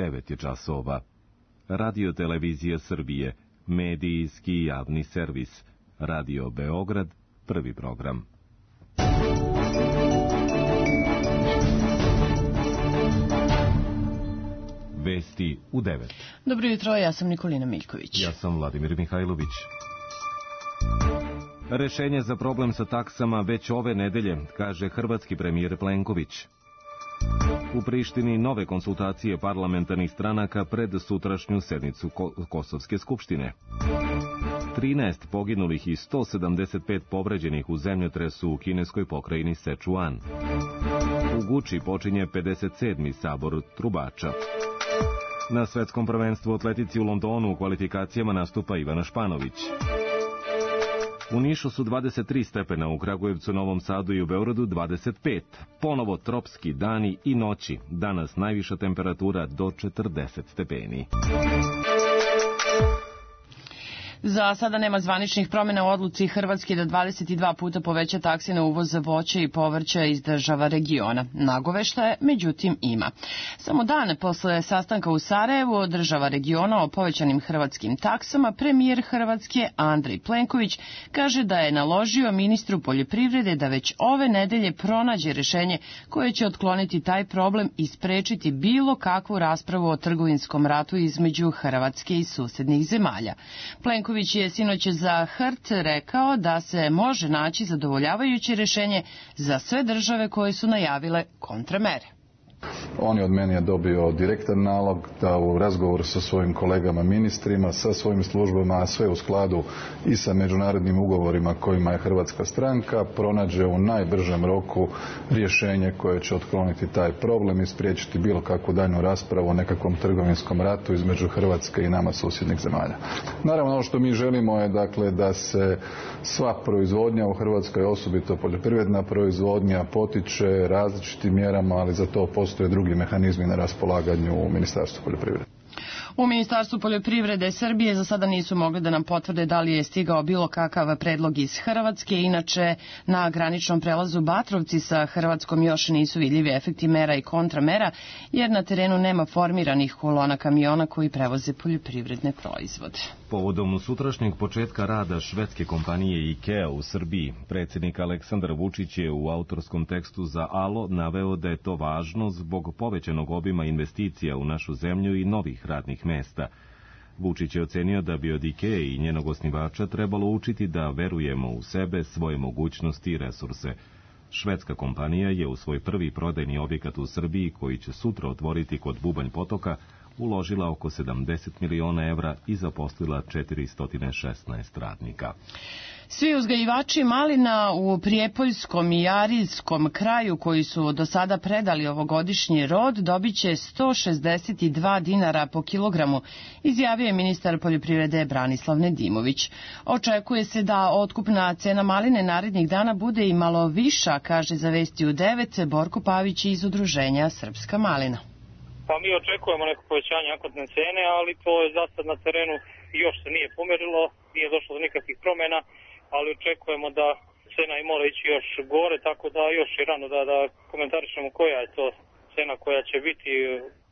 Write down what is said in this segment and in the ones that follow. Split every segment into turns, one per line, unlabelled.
9 je časova. Radio Televizija Srbije, medijski javni servis. Radio Beograd, prvi program. Vesti u 9.
Dobro jutro, ja sam Nikolina Miljković.
Ja sam Vladimir Mihajlović. Rešenje za problem sa taksama već ove nedelje, kaže hrvatski premijer Plenković. U Prištini nove konsultacije parlamentarnih stranaka pred sutrašnju sednicu Kosovske skupštine. 13 poginulih i 175 povređenih u zemljotresu u kineskoj pokrajini Sečuan. U Guči počinje 57. sabor trubača. Na svetskom prvenstvu atletici u Londonu u kvalifikacijama nastupa Ivana Španović. U Nišu su 23 stepena, u Kragujevcu, Novom Sadu i u Beogradu 25. Ponovo tropski dani i noći. Danas najviša temperatura do 40 stepeni.
Za sada nema zvaničnih promjena u odluci Hrvatske da 22 puta poveća takse na uvoz voća i povrća iz država regiona. Nagoveštaje, međutim, ima. Samo dan posle sastanka u Sarajevu država regiona o povećanim hrvatskim taksama, premijer Hrvatske Andrej Plenković kaže da je naložio ministru poljoprivrede da već ove nedelje pronađe rešenje koje će otkloniti taj problem i sprečiti bilo kakvu raspravu o trgovinskom ratu između Hrvatske i susednih zemalja. Plenković je sinoć za HRT rekao da se može naći zadovoljavajuće rešenje za sve države koje su najavile kontramere.
On je od mene dobio direktan nalog da u razgovoru sa svojim kolegama ministrima, sa svojim službama, a sve u skladu i sa međunarodnim ugovorima kojima je hrvatska stranka, pronađe u najbržem roku rješenje koje će otkloniti taj problem i spriječiti bilo kakvu daljnju raspravu o nekakvom trgovinskom ratu između Hrvatske i nama susjednih zemalja. Naravno, ono što mi želimo je dakle da se sva proizvodnja u Hrvatskoj, osobito poljoprivredna proizvodnja, potiče različitim mjerama, ali za to postoje drugi mehanizmi na raspolaganju u Ministarstvu poljoprivrede.
U Ministarstvu poljoprivrede Srbije za sada nisu mogli da nam potvrde da li je stigao bilo kakav predlog iz Hrvatske. Inače, na graničnom prelazu Batrovci sa Hrvatskom još nisu vidljivi efekti mera i kontramera, jer na terenu nema formiranih kolona kamiona koji prevoze poljoprivredne proizvode.
Povodom sutrašnjeg početka rada švedske kompanije IKEA u Srbiji, predsjednik Aleksandar Vučić je u autorskom tekstu za Alo naveo da je to važno zbog povećanog obima investicija u našu zemlju i novih radnih mesta. Vučić je ocenio da bi od IKEA i njenog osnivača trebalo učiti da verujemo u sebe, svoje mogućnosti i resurse. Švedska kompanija je u svoj prvi prodajni objekat u Srbiji, koji će sutra otvoriti kod Bubanj Potoka, uložila oko 70 miliona evra i zaposlila 416 radnika.
Svi uzgajivači malina u Prijepoljskom i Arilskom kraju koji su do sada predali ovogodišnji rod dobit će 162 dinara po kilogramu, izjavio je ministar poljoprivrede Branislav Nedimović. Očekuje se da otkupna cena maline narednih dana bude i malo viša, kaže za Vesti u 9 Borko Pavić iz udruženja Srpska malina.
Pa mi očekujemo neko povećanje akutne cene, ali to je za sad na terenu još se nije pomerilo, nije došlo do nikakvih promjena, ali očekujemo da cena i mora ići još gore, tako da još je rano da komentarišemo koja je to cena koja će biti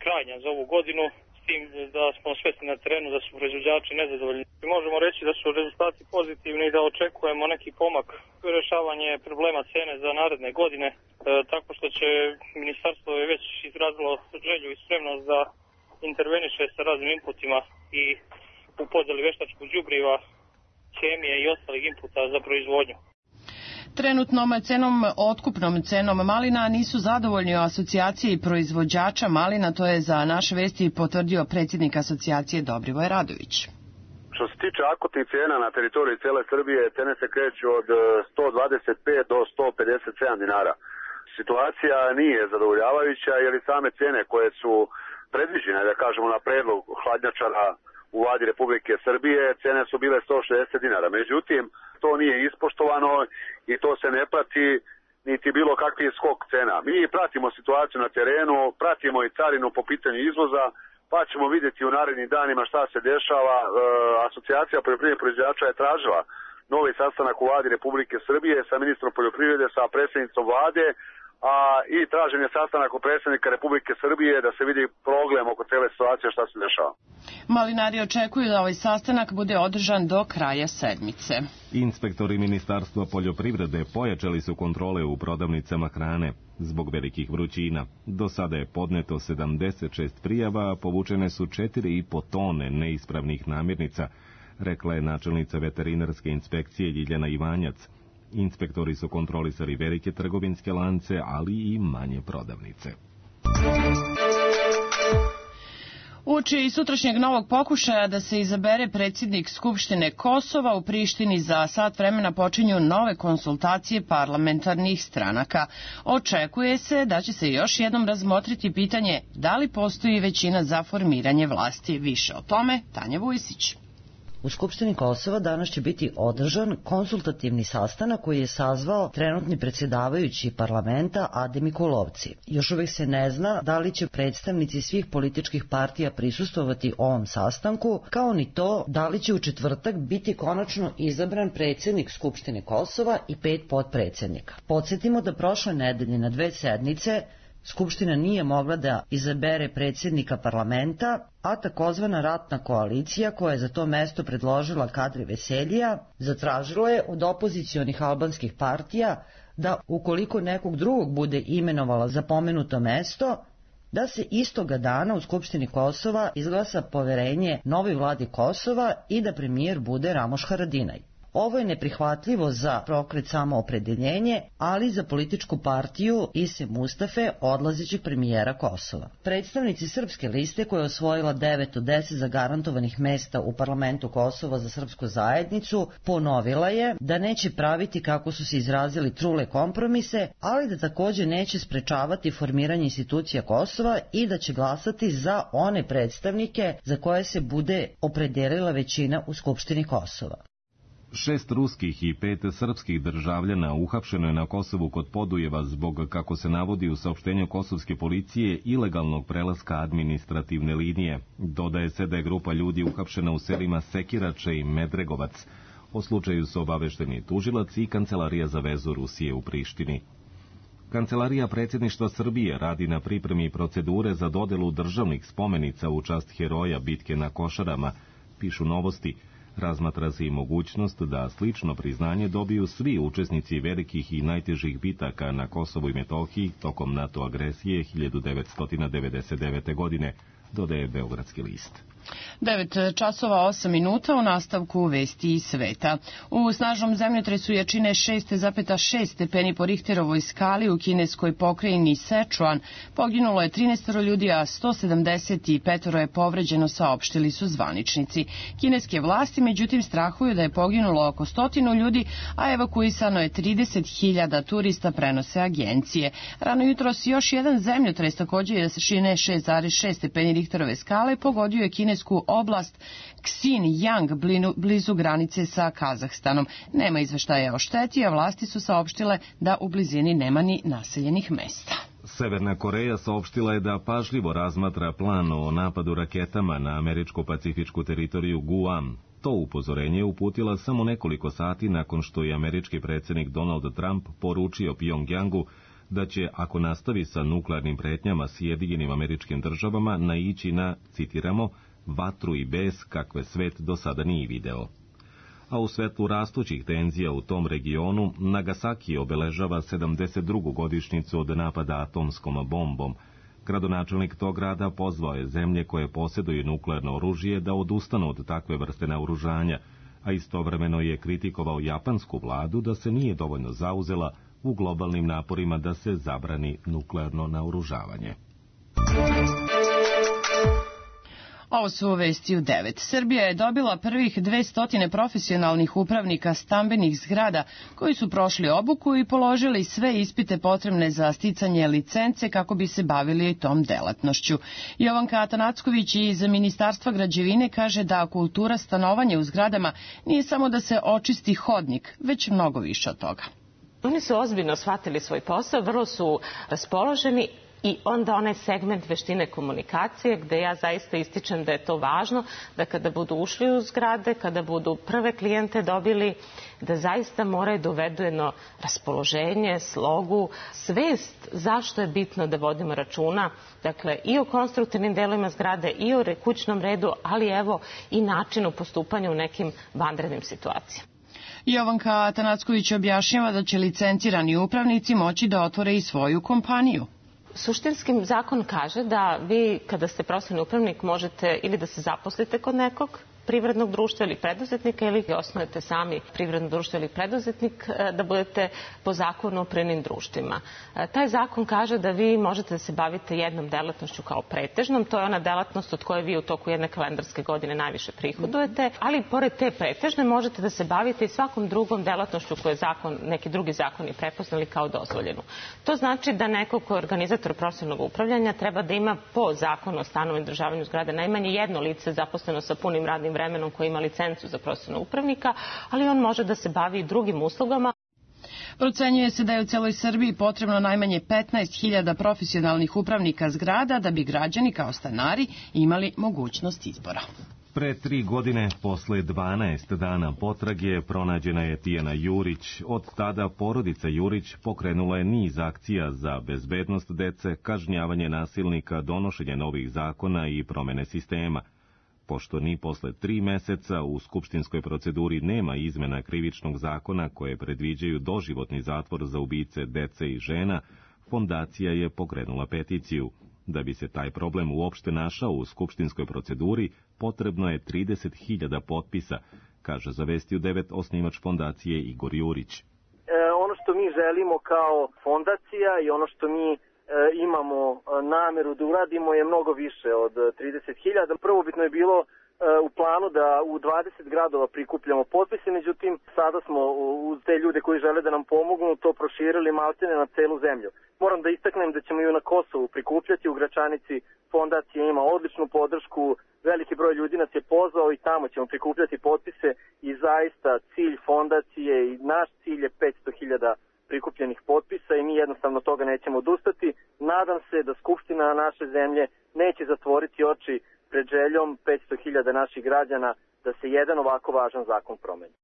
krajnja za ovu godinu, s tim da smo svesni na terenu da su proizvođači nezadovoljni. Možemo reći da su rezultati pozitivni i da očekujemo neki pomak u rješavanje problema cene za naredne godine, tako što će ministarstvo je već izrazilo želju i spremnost da interveniše sa raznim inputima i u podjeli veštačkog đubriva, kemije i ostalih inputa za proizvodnju.
Trenutnom otkupnom cenom malina nisu zadovoljni u asocijaciji proizvođača malina, to je za naše Vesti potvrdio predsjednik asocijacije Dobrivoj Radović.
Što se tiče akutnih cena na teritoriji cijele Srbije, cene se kreću od 125 do 157 dinara. Situacija nije zadovoljavajuća jer i same cene koje su predviđene, da kažemo na predlog hladnjačara u vladi Republike Srbije, cene su bile 160 dinara. Međutim, to nije ispoštovano i to se ne prati niti bilo kakvi skok cena. Mi pratimo situaciju na terenu, pratimo i carinu po pitanju izvoza, pa ćemo vidjeti u narednim danima šta se dešava. Asocijacija poljoprivrednih proizvođača je tražila novi sastanak u vladi Republike Srbije sa ministrom poljoprivrede, sa predsjednicom vlade, i tražen je sastanak u predsjednika Republike Srbije da se vidi problem oko cele situacije šta se dešava.
Malinari očekuju da ovaj sastanak bude održan do kraja sedmice.
Inspektori Ministarstva poljoprivrede pojačali su kontrole u prodavnicama hrane zbog velikih vrućina. Do sada je podneto 76 prijava, a povučene su 4,5 tone neispravnih namirnica, rekla je načelnica veterinarske inspekcije Ljiljana Ivanjac. Inspektori su kontrolisali velike trgovinske lance, ali i manje prodavnice.
Uoči sutrašnjeg novog pokušaja da se izabere predsjednik Skupštine Kosova, u Prištini za sat vremena počinju nove konsultacije parlamentarnih stranaka. Očekuje se da će se još jednom razmotriti pitanje da li postoji većina za formiranje vlasti. Više o tome Tanja Vujsić.
U Skupštini Kosova danas će biti održan konsultativni sastanak koji je sazvao trenutni predsjedavajući parlamenta Ade Mikulovci. Još uvijek se ne zna da li će predstavnici svih političkih partija prisustvovati ovom sastanku, kao ni to da li će u četvrtak biti konačno izabran predsjednik Skupštine Kosova i 5 potpredsjednika. Podsjetimo da prošle nedelje na 2 sednice Skupština nije mogla da izabere predsjednika parlamenta, a takozvana ratna koalicija, koja je za to mesto predložila Kadri Veseljija, zatražila je od opozicionih albanskih partija da ukoliko nekog drugog bude imenovala za pomenuto mesto, da se istoga dana u Skupštini Kosova izglasa poverenje novoj vladi Kosova i da premijer bude Ramoš Haradinaj. Ovo je neprihvatljivo za pokret Samoopredeljenje, ali za političku partiju Ise Mustafe, odlazećeg premijera Kosova. Predstavnici Srpske liste, koja je osvojila 9 od 10 zagarantovanih mesta u parlamentu Kosova za srpsku zajednicu, ponovila je da neće praviti, kako su se izrazili, trule kompromise, ali da također neće sprečavati formiranje institucija Kosova i da će glasati za one predstavnike za koje se bude opredelila većina u Skupštini Kosova.
6 ruskih i 5 srpskih državljana uhapšeno je na Kosovu kod Podujeva zbog, kako se navodi u saopštenju kosovske policije, ilegalnog prelaska administrativne linije. Dodaje se da je grupa ljudi uhapšena u selima Sekirače i Medregovac. O slučaju su obavešteni tužilac i Kancelarija za vezu Rusije u Prištini. Kancelarija predsjedništva Srbije radi na pripremi procedure za dodelu državnih spomenica u čast heroja bitke na Košarama, pišu Novosti. Razmatra se i mogućnost da slično priznanje dobiju svi učesnici velikih i najtežih bitaka na Kosovu i Metohiji tokom NATO agresije 1999. godine, dodaje Beogradski list.
9 časova 8 minuta, u nastavku vesti iz sveta. U snažnom zemljotresu jačine 6,6 stepeni po Richterovoj skali u kineskoj pokrajini Sichuan poginulo je 13 ljudi, a 175 je povređeno, saopštili su zvaničnici. Kineske vlasti međutim strahuju da je poginulo oko 100 ljudi, a evakuisano je 30.000 turista, prenose agencije. Rano jutros još jedan zemljotres također jačine 6,6 stepeni Richterove skale pogodio je kinesku oblast Xinjiang blizu granice sa Kazahstanom. Nema izveštaja o šteti, a vlasti su saopštile da u blizini nema ni naseljenih mesta.
Severna Koreja saopštila je da pažljivo razmatra plan o napadu raketama na američko-pacifičku teritoriju Guam. To upozorenje je uputila samo nekoliko sati nakon što je američki predsjednik Donald Trump poručio Pjongjangu da će, ako nastavi sa nuklearnim pretnjama Sjedinjenim Američkim Državama, naići na, citiramo, vatru i bes kakve svet do sada nije video. A u svetlu rastućih tenzija u tom regionu, Nagasaki obeležava 72. godišnjicu od napada atomskom bombom. Gradonačelnik tog grada pozvao je zemlje koje posjeduju nuklearno oružje da odustanu od takve vrste naoružanja, a istovremeno je kritikovao japansku vladu da se nije dovoljno zauzela u globalnim naporima da se zabrani nuklearno naoružavanje.
Ovo su vesti u 9. Srbija je dobila prvih 200 profesionalnih upravnika stambenih zgrada koji su prošli obuku i položili sve ispite potrebne za sticanje licence kako bi se bavili tom delatnošću. Jovanka Atanacković iz Ministarstva građevine kaže da kultura stanovanja u zgradama nije samo da se očisti hodnik, već mnogo više od toga.
Oni su ozbiljno shvatili svoj posao, vrlo su raspoloženi I onda onaj segment veštine komunikacije gde ja zaista ističem da je to važno, da kada budu ušli u zgrade, kada budu prve klijente dobili, da zaista moraju da uvedu jedno raspoloženje, slogu, svest zašto je bitno da vodimo računa, dakle i o konstruktivnim delovima zgrade i o kućnom redu, ali evo i načinu postupanja u nekim vanrednim situacijama.
Jovanka Atanacković objašnjava da će licencirani upravnici moći da otvore i svoju kompaniju.
Suštinski zakon kaže da vi kada ste profesionalni upravnik možete ili da se zaposlite kod nekog privrednog društva ili preduzetnika ili osnujete sami privredno društvo ili preduzetnik da budete po zakonu o privrednim društvima. Taj zakon kaže da vi možete da se bavite jednom delatnošću kao pretežnom, to je ona delatnost od koje vi u toku jedne kalendarske godine najviše prihodujete, ali pored te pretežne možete da se bavite i svakom drugom delatnošću koje zakon, neki drugi zakoni prepoznali kao dozvoljenu. To znači da neko ko je organizator profesionalnog upravljanja treba da ima po zakonu o stanovanju i održavanju zgrade najmanje jedno lice zaposleno sa punim radnim vremenom koji ima licencu za profesionalnog upravnika, ali on može da se bavi i drugim uslugama.
Procenjuje se da je u celoj Srbiji potrebno najmanje 15.000 profesionalnih upravnika zgrada da bi građani kao stanari imali mogućnost izbora.
Pre 3 godine, posle 12 dana potrage, pronađena je Tijana Jurić. Od tada porodica Jurić pokrenula je niz akcija za bezbednost dece, kažnjavanje nasilnika, donošenje novih zakona i promene sistema. Pošto ni posle 3 meseca u skupštinskoj proceduri nema izmena krivičnog zakona koje predviđaju doživotni zatvor za ubice dece i žena, fondacija je pokrenula peticiju. Da bi se taj problem uopšte našao u skupštinskoj proceduri, potrebno je 30.000 potpisa, kaže za Vesti u 9 osnivač fondacije Igor Jurić.
Ono što mi želimo kao fondacija i ono što mi imamo nameru da uradimo je mnogo više od 30.000. Prvobitno je bilo u planu da u 20 gradova prikupljamo potpise, međutim sada smo uz te ljude koji žele da nam pomognu to proširili maltene na celu zemlju. Moram da istaknem da ćemo i na Kosovu prikupljati, u Gračanici fondacija ima odličnu podršku, veliki broj ljudi nas je pozvao i tamo ćemo prikupljati potpise i zaista cilj fondacije i naš cilj je 500.000 prikupljenih potpisa i mi jednostavno toga nećemo odustati. Nadam se da Skupština naše zemlje neće zatvoriti oči pred željom 500.000 naših građana da se jedan ovako važan zakon promeni.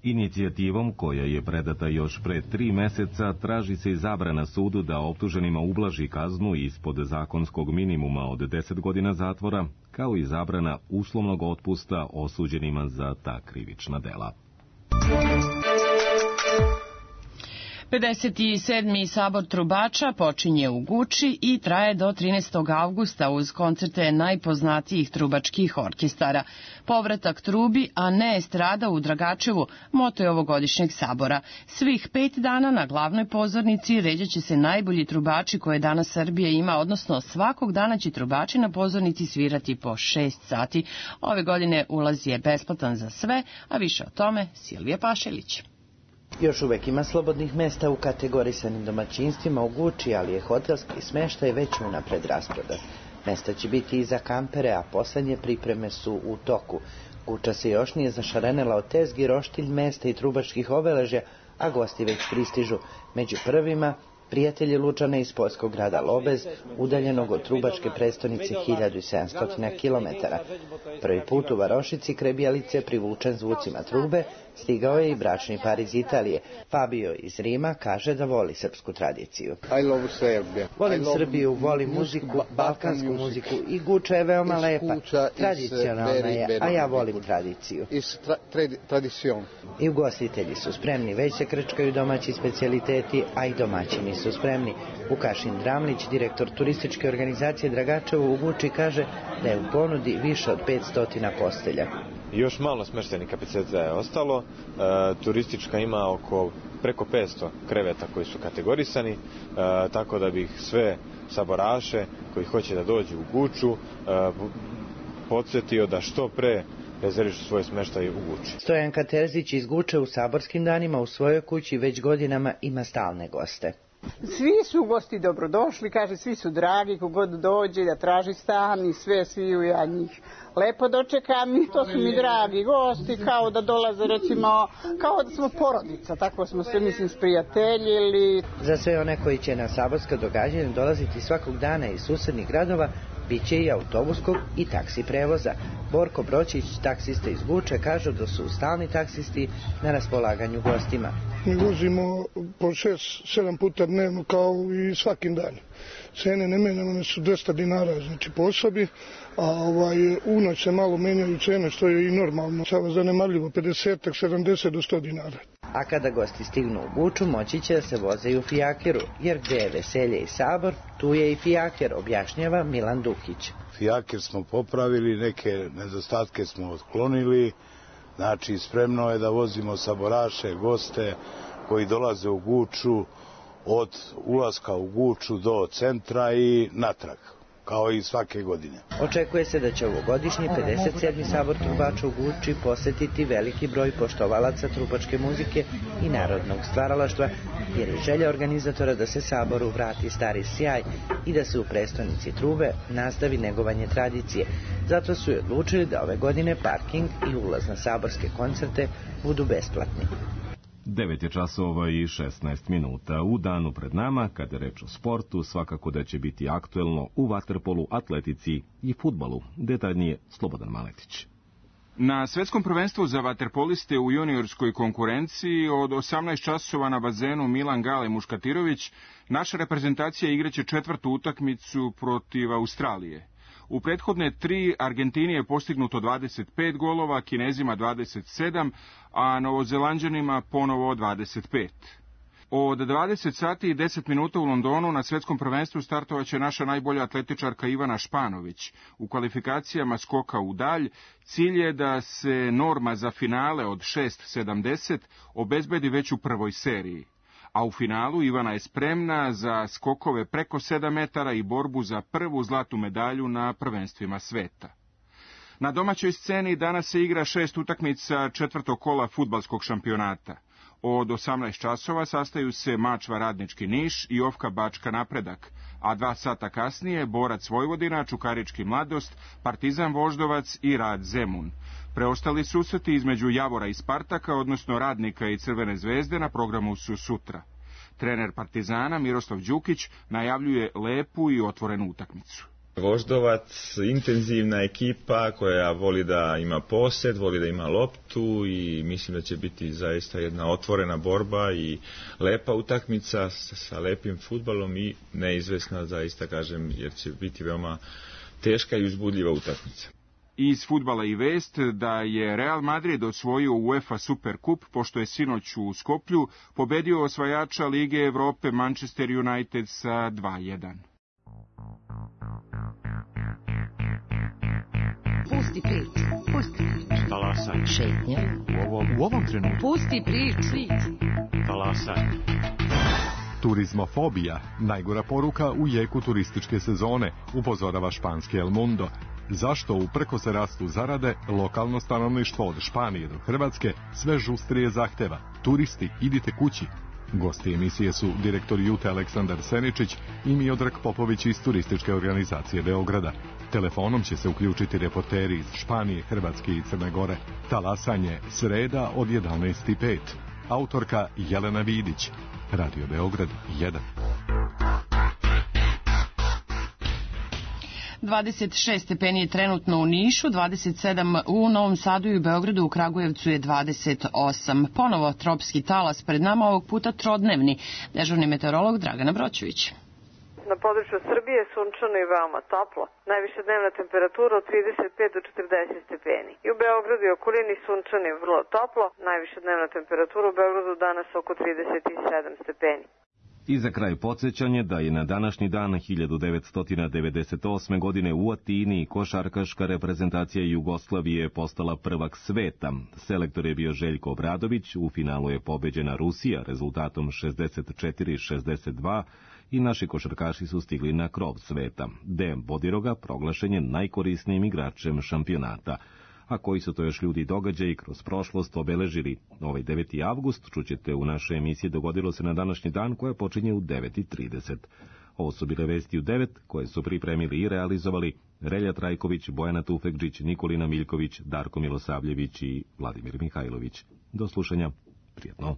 Inicijativom, koja je predata još pre 3 meseca, traži se i zabrana sudu da optuženima ublaži kaznu ispod zakonskog minimuma od 10 godina zatvora, kao i zabrana uslovnog otpusta osuđenima za ta krivična dela.
57. sabor trubača počinje u Guči i traje do 13. avgusta uz koncerte najpoznatijih trubačkih orkestara. Povratak trubi, a ne estrada u Dragačevu, moto je ovogodišnjeg sabora. Svih 5 dana na glavnoj pozornici ređat će se najbolji trubači koje danas Srbija ima, odnosno svakog dana će trubači na pozornici svirati po 6 sati. Ove godine ulaz je besplatan za sve, a više o tome Silvija Pašelić.
Još uvek ima slobodnih mesta u kategorisanim domaćinstvima u Guči, ali je hotelski smeštaj već unapred rasprodat. Mesta će biti i za kampere, a poslednje pripreme su u toku. Guča se još nije zašarenela od tezgi, roštilj, mesta i trubačkih obeležja, a gosti već pristižu. Među prvima prijatelji Lučana iz poljskog grada Lobez, udaljenog od trubačke prestonice 1700 km. Prvi put u Varošici kraj Bjelice, privučen zvucima trube, stigao je i bračni par iz Italije. Fabio iz Rima kaže da voli srpsku tradiciju. Volim Srbiju, volim muziku, balkansku muziku i Guča je veoma lepa. Tradicionalna je, a ja volim tradiciju. I ugostitelji su spremni, već se krčkaju domaći specijaliteti, a i domaćini su spremni. Vukašin Dramlić, direktor turističke organizacije Dragačevo u Guči, kaže da je u ponudi više od 500 postelja.
Još malo smeštajnih kapaciteta je ostalo, turistička ima preko 500 kreveta koji su kategorisani, tako da bih sve saboraše koji hoće da dođu u Guču podsjetio da što pre rezervišu svoje smeštaje u Guči.
Stojanka Terzić iz Guče u saborskim danima u svojoj kući već godinama ima stalne goste.
Svi su gosti dobrodošli, kaže, svi su dragi, kogod dođe da traži stan i sve, svi ja njih lepo dočekam i to su mi dragi gosti, kao da dolaze, recimo, kao da smo porodica, tako smo se, mislim, sprijateljili.
Za sve one koji će na saborska događanja dolaziti svakog dana iz susednih gradova, bit će i autobuskog i taksi prevoza. Borko Bročić, taksista iz Guče, kaže da su stalni taksisti na raspolaganju gostima.
Mi vozimo po 6-7 puta dnevno kao i svakim danom. Cene ne menjamo, one su 200 dinara, znači po osobi, a u noć se malo menjaju cene, što je i normalno. Sada zanemarljivo 50-70 do 100 dinara.
A kada gosti stignu u Guču, moći će da se voze i u fijakeru, jer gde je veselje i sabor, tu je i fijaker, objašnjava Milan Dukić.
Fijaker smo popravili, neke nedostatke smo otklonili, znači spremno je da vozimo saboraše, goste koji dolaze u Guču, od ulaska u Guču do centra i natrag, kao i svake godine.
Očekuje se da će ovogodišnji 57. sabor trubača u Guči posetiti veliki broj poštovalaca trubačke muzike i narodnog stvaralaštva, jer je želja organizatora da se saboru vrati stari sjaj i da se u prestonici trube nastavi negovanje tradicije. Zato su i odlučili da ove godine parking i ulaz na saborske koncerte budu besplatni.
9 je časova i 16 minuta. U danu pred nama, kada je reč o sportu, svakako da će biti aktuelno u vaterpolu, atletici i fudbalu. Detaljnije Slobodan Maletić.
Na svetskom prvenstvu za vaterpoliste u juniorskoj konkurenciji od 18 časova na bazenu Milan Gale Muškatirović, naša reprezentacija igraće četvrtu utakmicu protiv Australije. U prethodne 3 Argentini je postignuto 25 golova, Kinezima 27, a Novozelanđanima ponovo 25. Od 20 sati i 10 minuta u Londonu na svetskom prvenstvu startovaće naša najbolja atletičarka Ivana Španović. U kvalifikacijama skoka u dalj cilj je da se norma za finale od 6,70 obezbedi već u prvoj seriji. A u finalu Ivana je spremna za skokove preko 7 metara i borbu za prvu zlatnu medalju na prvenstvima sveta. Na domaćoj sceni danas se igra 6 utakmica četvrtog kola fudbalskog šampionata. Od 18 časova sastaju se Mačva Radnički Niš i Ofka Bačka Napredak, a 2 sata kasnije Borac Vojvodina, Čukarički Mladost, Partizan Voždovac i Rad Zemun. Preostali susreti između Javora i Spartaka, odnosno Radnika i Crvene zvezde, na programu su sutra. Trener Partizana Miroslav Đukić najavljuje lepu i otvorenu utakmicu.
Voždovac, intenzivna ekipa koja voli da ima posed, voli da ima loptu i mislim da će biti zaista jedna otvorena borba i lepa utakmica sa lepim fudbalom i neizvesna, zaista kažem, jer će biti veoma teška i uzbudljiva utakmica.
Iz fudbala i vest da je Real Madrid osvojio UEFA Superkup, pošto je sinoć u Skoplju pobedio osvajača Lige Evrope Manchester United sa 2:1.
Pusti priču, pusti priču.
Talasaj.
Šetnja.
U ovom trenutku.
Pusti priču.
Talasaj.
Turizmofobija, najgora poruka u jeku turističke sezone, upozorava španski El Mundo. Zašto uprkos se rastu zarade, lokalno stanovništvo od Španije do Hrvatske sve žustrije zahteva? Turisti, idite kući. Gosti emisije su direktor Jute Aleksandar Seničić i Miodrag Popović iz turističke organizacije Beograda. Telefonom će se uključiti reporteri iz Španije, Hrvatske i Crne Gore. Talasanje sreda od 11:05. Autorka Jelena Vidić. Radio Beograd 1.
26 stepeni je trenutno u Nišu, 27 u Novom Sadu i u Beogradu, u Kragujevcu je 28. Ponovo tropski talas, pred nama ovog puta trodnevni. Dežurni meteorolog Dragana Broćević.
Na području Srbije sunčano i veoma toplo. Najviša dnevna temperatura od 35 do 40 stepeni. I u Beogradu i okolini sunčano i vrlo toplo. Najviša dnevna temperatura u Beogradu danas oko 37 stepeni.
I za kraj podsjećanje da je na današnji dan 1998. godine u Atini košarkaška reprezentacija Jugoslavije postala prvak sveta. Selektor je bio Željko Obradović, u finalu je pobeđena Rusija rezultatom 64-62 i naši košarkaši su stigli na krov sveta. Dejan Bodiroga proglašen je najkorisnijim igračem šampionata. a koji su to još ljudi i događaji kroz prošlost obeležili. Ovaj 9. avgust čućete u našoj emisiji Dogodilo se na današnji dan, koja počinje u 9:30. Ovo su bile vesti u 9, koje su pripremili i realizovali Relja Trajković, Bojana Tufekđić, Nikolina Miljković, Darko Milosavljević i Vladimir Mihajlović. Do slušanja. Prijetno.